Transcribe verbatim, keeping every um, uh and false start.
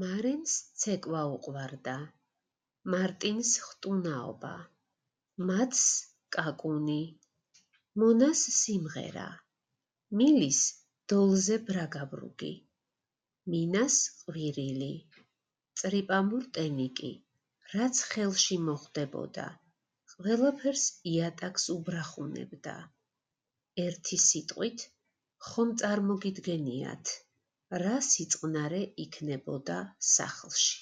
მარენს ცეკვა უყვარდა, მარტინს ხტუნაობა, მათს კაკუნი, მონას სიმღერა, მილის დოლზე ბრაგაბრუგი, მინას ყვირილი, წრიპამურ ტენიკი, რაც ხელში მოხვდებოდა, ყველაფერს იატაკს უბრახუნებდა. ერთი სიტყვით, ხომ წარმოგიდგენიათ, რა სიწყნარე იქნებოდა სახლში.